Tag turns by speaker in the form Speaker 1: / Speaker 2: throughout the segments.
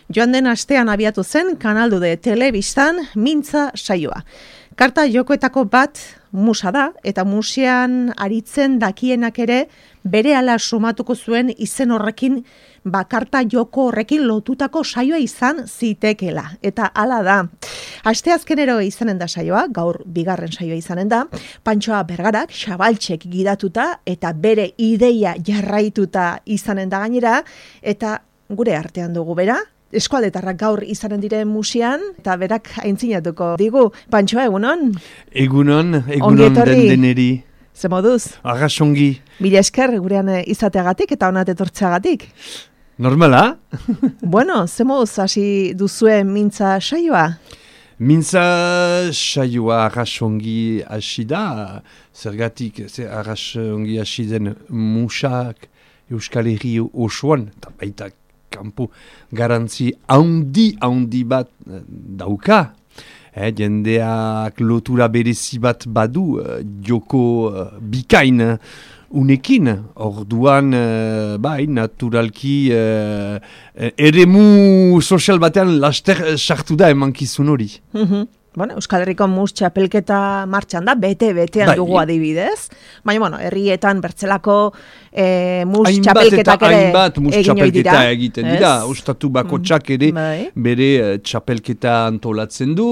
Speaker 1: Joan den astean abiatu zen Kanal de telebistan mintza saioa. Karta jokoetako bat musa da, eta musean aritzen dakienak ere berehala sumatuko zuen izen horrekin, karta joko horrekin lotutako saioa izan zitekela. Eta hala da. Asteazkenero izanen da saioa, gaur bigarren saioa izanen da, Pantxoa Bergarak Xabaltxek gidatuta eta bere ideia jarraituta izanen da gainera, eta gure artean dugu bera. Eskualdetarrak gaur izanen diren musean, eta berak aintzinatuko digu. Pantxoa, egunon?
Speaker 2: Egunon dendeneri.
Speaker 1: Ze moduz?
Speaker 2: Arrasongi.
Speaker 1: Mila esker gurean izateagatik eta onat etortzeagatik.
Speaker 2: Normala?
Speaker 1: Bueno, ze moduz hasi duzuen mintza saioa?
Speaker 2: Mintza saioa arrasongi hasi da, zergatik arrasongi hasi den musak Euskal Herri osoan, eta baita kanpo garantzi haundi bat dauka. Jendeak lotura berezi bat badu, joko bikain unekin. Orduan, naturalki, eremu sozial batean laster sartu da emankizun hori.
Speaker 1: Bueno, Euskal Herriko mus txapelketa martxan da, bete-betean dugu adibidez. Baina, herrietan bertzelako mus txapelketak ere egin hori dira.
Speaker 2: Egiten dira. Ostatu bakotxak ere bere txapelketa antolatzen du,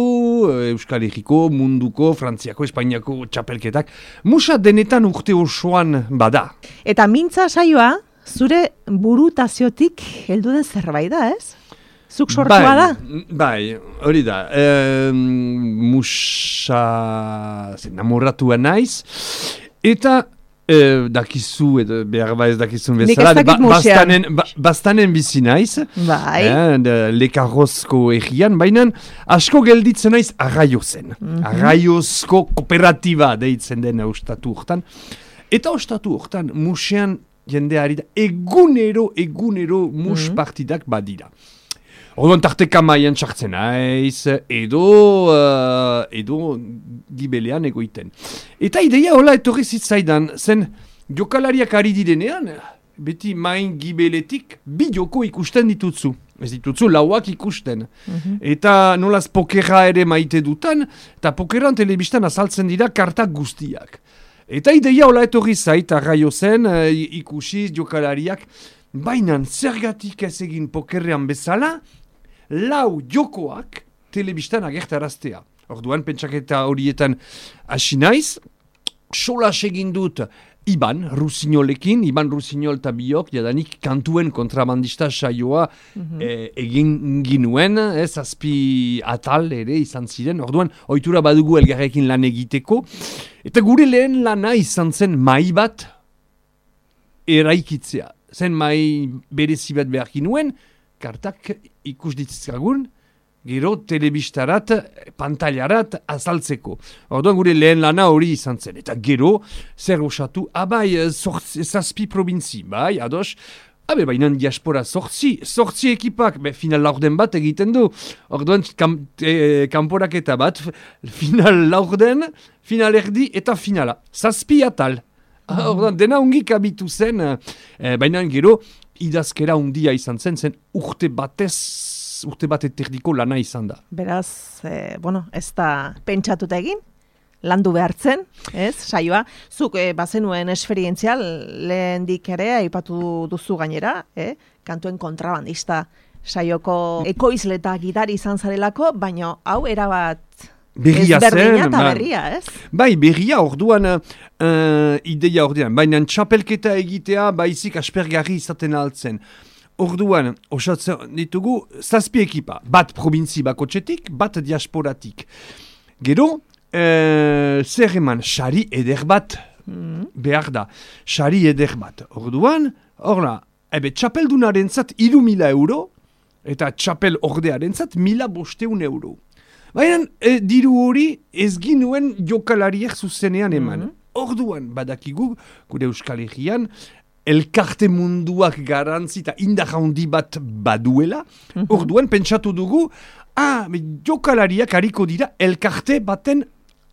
Speaker 2: Euskal Herriko, munduko, Frantziako, Espainiako txapelketak. Musa denetan urte osoan bada. Eta
Speaker 1: mintza saioa, zure burutaziotik heldu den zerbait da, ez? Zuk sortua da?
Speaker 2: Bai, hori da. Musa namoratua naiz. Eta dakizu, behar ez dakizun bezala.
Speaker 1: Nik ez dakit musean.
Speaker 2: Bastanen bizi naiz.
Speaker 1: Bai.
Speaker 2: Lekarrozko egian. Baina asko gelditzen naiz Arraiozen. Arraiozko kooperatiba deitzen den ostatu hortan. Eta ostatu hortan musean jendeari da egunero mus partidak badira. Orduan tarteka maian txartzen naiz, edo gibelean egoiten. Eta ideia hola etorri zitzaidan, zen jokalariak ari direnean, beti main gibeletik bi joko ikusten ditutzu. Ez ditutzu lauak ikusten. Eta nolaz pokerra ere maite dutan, eta pokeran telebistan azaltzen dira kartak guztiak. Eta ideia hola etorri zait, Arraiozen, ikusiz jokalariak, bainan zergatik ez egin pokerrean bezala, lau jokoak telebistan agertaraztea. Orduan, pentsaketa horietan hasi naiz, solas egin dut Iban Rusignolekin, Iban Rusignol eta biok, jadanik kantuen kontrabandista saioa egin ginuen, zazpi atal ere izan ziren. Orduan, ohitura badugu elgarrekin lan egiteko. Eta gure lehen lana izan zen mai bat eraikitzea. Zen mai berezi bat behar ginuen, kartak ikus ditzkagun, gero telebistarat, pantailarat azaltzeko. Orduan gure lehen lana hori izan zen. Eta gero, zer osatu, zazpi probintzi, bai, ados, bainan diaspora sortzi ekipak, final laurden bat egiten du. Orduan, kanporaketa bat, final laurden, final erdi eta finala. Zazpi atal. Orduan, dena ungik abitu zen, baina gero, idazkera undia izan zen urte bat eterdiko lana izan da.
Speaker 1: Beraz, ez da pentsatuta egin, landu behartzen, ez, saioa. Zuk bazenuen esperientzial lehendik ere aipatu duzu gainera, kantuen kontrabandista saioko ekoizle eta gidari izan zarelako, baina hau erabat
Speaker 2: berria
Speaker 1: ezberdina eta berria, ez?
Speaker 2: Bai, berria orduan ideia ordean. Baina txapelketa egitea baizik aspergarri izaten altzen. Orduan, osatzen ditugu zazpi ekipa. Bat probintzi bakotxetik, bat diasporatik. Gero, zer eman, sari eder bat behar da. Sari eder bat. Orduan, txapeldunaren zat 3.000 euro, eta txapel ordearen zat 1.500 euro. Baina, diru hori ez ginuen jokalariek zuzenean eman. Orduan, badakigu, gure Euskal Herrian, elkarte munduak garantzi eta indar handi bat baduela. Orduan, pentsatu dugu, jokalariak hariko dira elkarte baten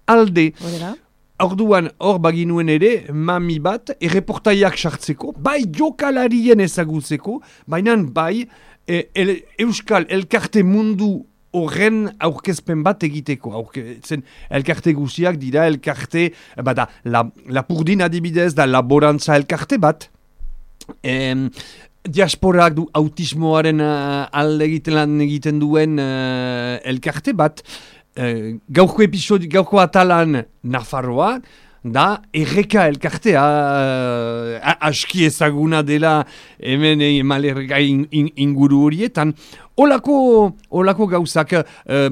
Speaker 2: alde. Orduan, hor baginuen ere, mami bat, erreportaiak sartzeko, bai jokalarien ezagutzeko, baina bai Euskal elkarte mundu horren aurkezpen bat egiteko. Zen elkarte guziak dira elkarte, bada, Lapurdin adibidez da laborantza elkarte bat, diasporak du autismoaren alde egiten duen elkarte bat, gaurko atalan Nafarroa, da erreka elkartea aski ezaguna dela hemen malerga inguru horietan. Olako gauzak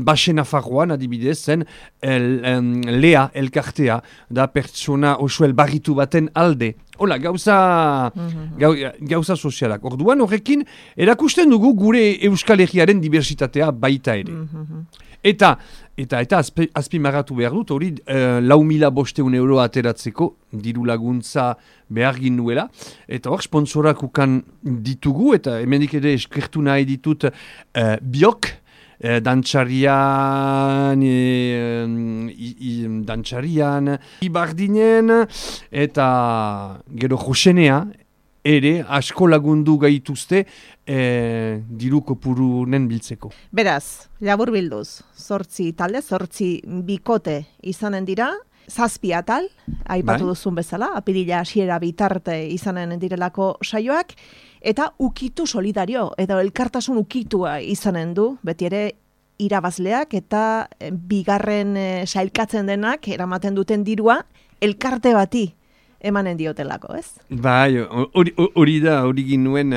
Speaker 2: Baxe Nafarroan adibidez zen lea elkartea da pertsona oso elbarritu baten alde. Hola, gauza sozialak. Orduan horrekin erakusten dugu gure Euskal Herriaren diversitatea baita ere. Eta azpimarratu behar dut, hori 4.500 euro ateratzeko diru laguntza behar ginuela. Eta hor, sponsorak ukan ditugu, eta hemendik ere eskertu nahi ditut biok, dantxarian, ibardinen, eta gero josenea, ere asko lagundu gaituzte diru kopurunen biltzeko.
Speaker 1: Beraz, labur bilduz, 8 talde, 8 bikote izanen dira, 7 atal, aipatu duzun bezala, apirila hasiera bitarte izanen direlako saioak, eta ukitu solidario, edo elkartasun ukitua izanen du, beti ere irabazleak eta bigarren sailkatzen denak eramaten duten dirua elkarte bati emanen diotelako, ez?
Speaker 2: Bai, hori da, hori ginuen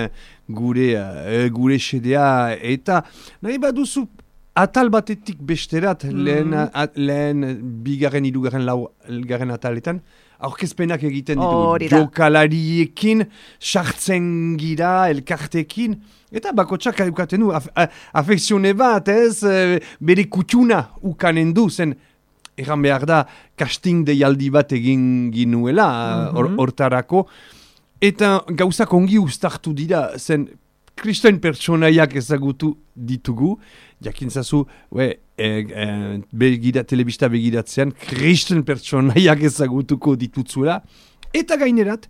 Speaker 2: gure xedea, eta nahi baduzu atal batetik besterat, lehen bigarren, hirugarren, laugarren ataletan, aurkezpenak egiten ditugu, jokalariekin, sartzen gira, elkartekin, eta bakotsak edukaten du, afekzione bat, ez, bere kutxuna ukanen du, zen, egan behar da, casting deialdi bat egin ginuela, hortarako, eta gauzak ongi ustartu dira, zen, kristoen pertsonaiak ezagutu ditugu, jakintzazu, telebista begiratzean, kristoen pertsonaiak ezagutuko ditutzuela, eta gainerat,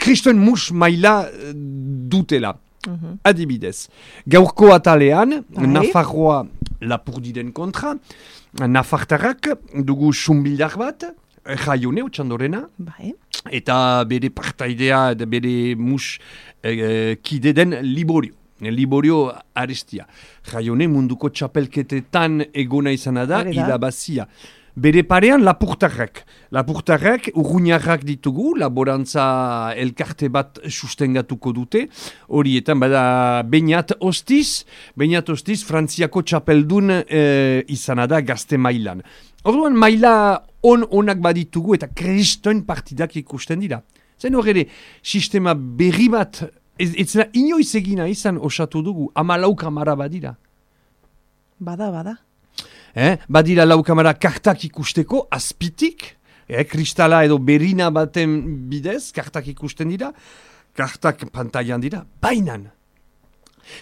Speaker 2: kristoen mus maila dutela. Adibidez, gaurko atalean, Nafarroa Lapurdiren kontra, Nafartarrak dugu sumbildak bat, Jaione, Otxandorena, eta bere partaidea, bere mus kide den Liborio Arestia. Jaione munduko txapelketetan egona izana da, irabazia. Bere parean Lapurtarrak. Lapurtarrak urruñarrak ditugu, laborantza elkarte bat sustengatuko dute. Horietan bada Beñat Ostiz, Frantziako txapeldun izana da gazte mailan. Orduan maila onak baditugu eta kristoen partidak ikusten dira. Zen hor ere, sistema berri bat, ez zela inoiz egina izan osatu dugu, 14 kamara badira.
Speaker 1: Bada.
Speaker 2: Badira 4 kamara kartak ikusteko, azpitik, kristala edo berina baten bidez, kartak ikusten dira, kartak pantailan dira, bainan.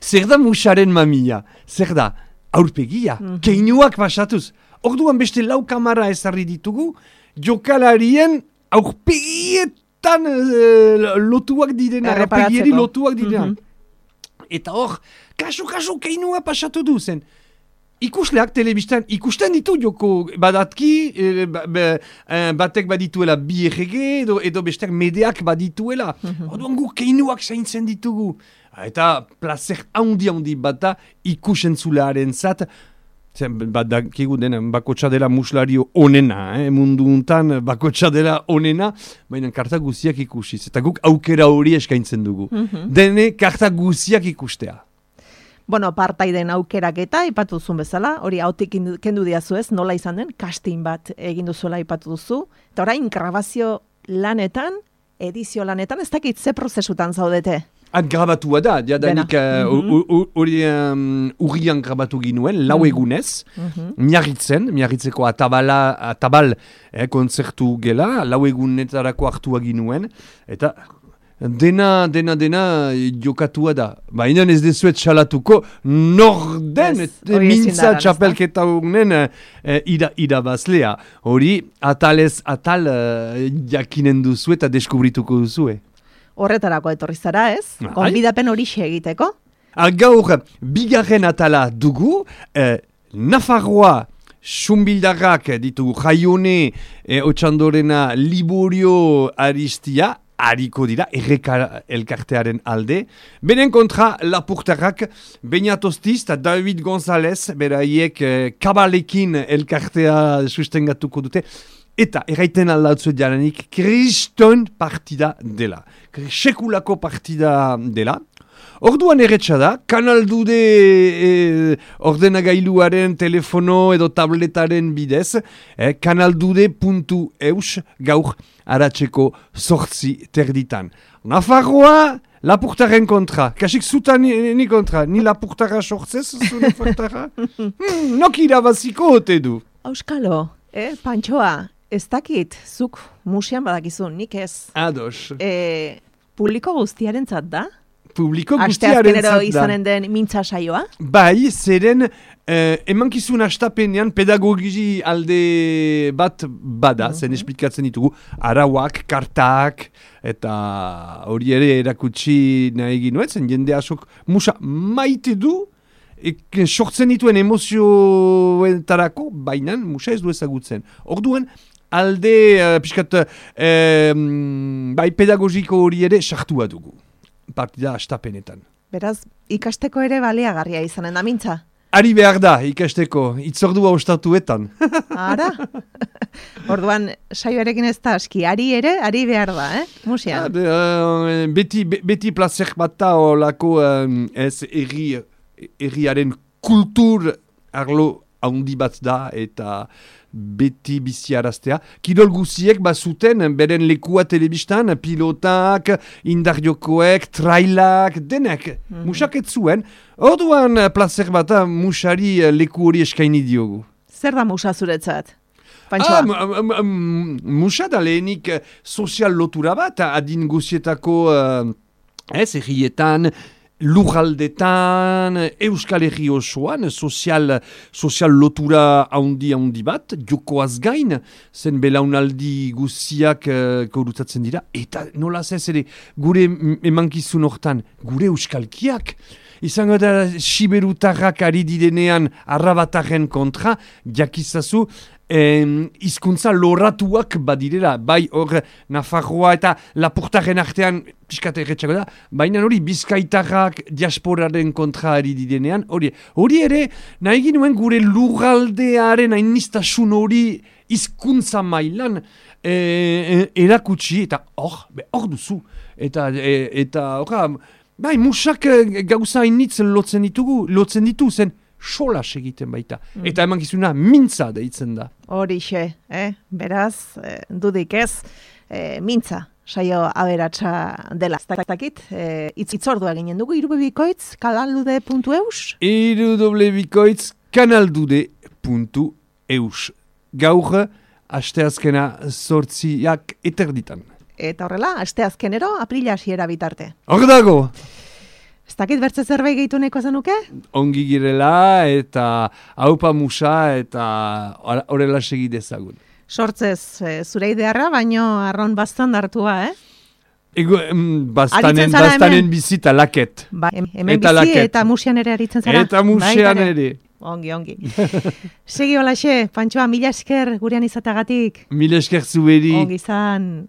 Speaker 2: Zer da musaren mamia? Zer da aurpegia? Keinuak pasatuz. Orduan beste 4 kamara ezarri ditugu, jokalarien aurpegietan lotuak direna, aurpegieri lotuak direna. Eta hor, kasu keinua pasatu du zen. Ikusleak telebistan ikusten ditu joko badatki, batek badituela bi errege, edo besteak medeak badituela. Orduan gu keinuak zaintzen ditugu. Eta placer handi bata ikusentzularen zat, badakigu dena bakotxa dela muslario onena, mundu untan bakotxa dela onena, baina karta guziak ikusiz. Eta guk aukera hori eskaintzen dugu. Dene karta guziak ikustea.
Speaker 1: Bueno, partaiden aukerak eta ipatu duzun bezala, hori hautik kendu diazu ez, nola izan den, casting bat egin duzuela ipatu duzu. Eta orain, grabazio lanetan, edizio lanetan, ez dakit ze prozesutan zaudete?
Speaker 2: Grabatua da, jadanik hori urrian grabatu ginuen, 4 egunez, miarritzeko atabal kontzertu gela, 4 egunetarako hartua ginuen, eta dena jokatua da. Baina ez dezuet txalatuko, norden mintza txapelketa honen irabazlea. Hori, atalez atal jakinen duzu eta deskubrituko duzue.
Speaker 1: Horretarako etorri zara, ez? Gonbidapen hori egiteko.
Speaker 2: Gaur, bigarren atala dugu, Nafarroa Xunbildarrak ditugu Jaione Otxandorena Liborio Aristia, hariko dira, erreka elkartearen alde. Benen kontra Lapurtarrak, Beñat Ostiz eta David González, beraiek kabalekin elkartea sustengatuko dute. Eta, erraiten aldautzu jaranik, kriston partida dela. Sekulako partida dela. Orduan erretxa da, kanaldude ordenagailuaren telefono edo tabletaren bidez, kanaldude.eus gaur aratzeko 8:00 Nafarroa, Lapurtaren kontra. Kasik zuta ni kontra. Ni Lapurtara sortzez, zu Lapurtara? Nok irabaziko ote du.
Speaker 1: Auskalo, Pantxoa, ez dakit, zuk musian badakizun, nik ez.
Speaker 2: Ados.
Speaker 1: Publiko guztiarentzat da?
Speaker 2: Publiko guztiarentzat da.
Speaker 1: Asteazkenero izanen den mintza saioa?
Speaker 2: Bai, zeren emankizun astapenean pedagogi alde bat bada, zen esplikatzen ditugu, arauak, kartak, eta hori ere erakutsi nahi ginoet, zen jende asok musa maite du, sortzen dituen emozioetarako, baina musa ez du ezagutzen. Orduan, alde pixkat bai pedagogiko hori ere sartua dugu. Partida astapenetan.
Speaker 1: Beraz, ikasteko ere baliagarria izanen da mintza?
Speaker 2: Ari behar da, ikasteko, itzordua ostatuetan.
Speaker 1: Ara? Orduan, saioarekin ez da aski, ari behar da, Musia?
Speaker 2: Beti placer bat da olako ez erriaren kultur arlo handi bat da eta beti biziaraztea. Kirol guziek bazuten beren lekua telebistan, pilotak, indarjokoek, trailak, denek. Musak ez zuen. Orduan placer bat musari leku hori eskaini diogu.
Speaker 1: Zer da musa zuretzat? Pantxoa?
Speaker 2: Musa da lehenik sozial lotura bat, adin guzietako errietan, lurraldetan, Euskal Herri osoan, sozial lotura handi bat, jokoaz gain, zen belaunaldi guziak korutatzen dira, eta nola ez ere, gure emankizun hortan, gure euskalkiak, izango da siberutarrak ari direnean arrabatarren kontra, jakizazu, hizkuntza loratuak badirela, bai hor Nafarroa eta Lapurtaren artean piskate erretxako da, baina hori bizkaitarrak diasporaren kontra ari direnean, hori ere nahi ginuen gure lurraldearen hainistasun hori hizkuntza mailan erakutsi, eta hor duzu, eta bai, musak gauza hainitz lotzen ditu zen, solas egiten baita. Eta emankizuna mintza deitzen da.
Speaker 1: Horixe, beraz, dudik ez, mintza saio aberatsa dela. Zakit, itzordua ginen dugu, irubebikoitz, kanaldude.eus?
Speaker 2: Irubebikoitz, kanaldude.eus. Gaur, asteazkena 8:00 eterditan.
Speaker 1: Eta horrela, asteazkenero, aprila hasiera bitarte.
Speaker 2: Hor dago!
Speaker 1: Ez dakit bertze zerbait gehitu nahiko zenuke?
Speaker 2: Ongi girela eta haupa musa eta horrela segi dezagun.
Speaker 1: Sortzez, zure idearra, baino arron bastan dartua,
Speaker 2: Bastanen bizita laket.
Speaker 1: Ba, hemen bizi laket. Eta musian ere aritzen zara?
Speaker 2: Eta musian ere.
Speaker 1: Ongi. Segi holaxe, Pantxoa, mila esker gurean izatagatik.
Speaker 2: Mila esker zuberi.
Speaker 1: Ongi zan.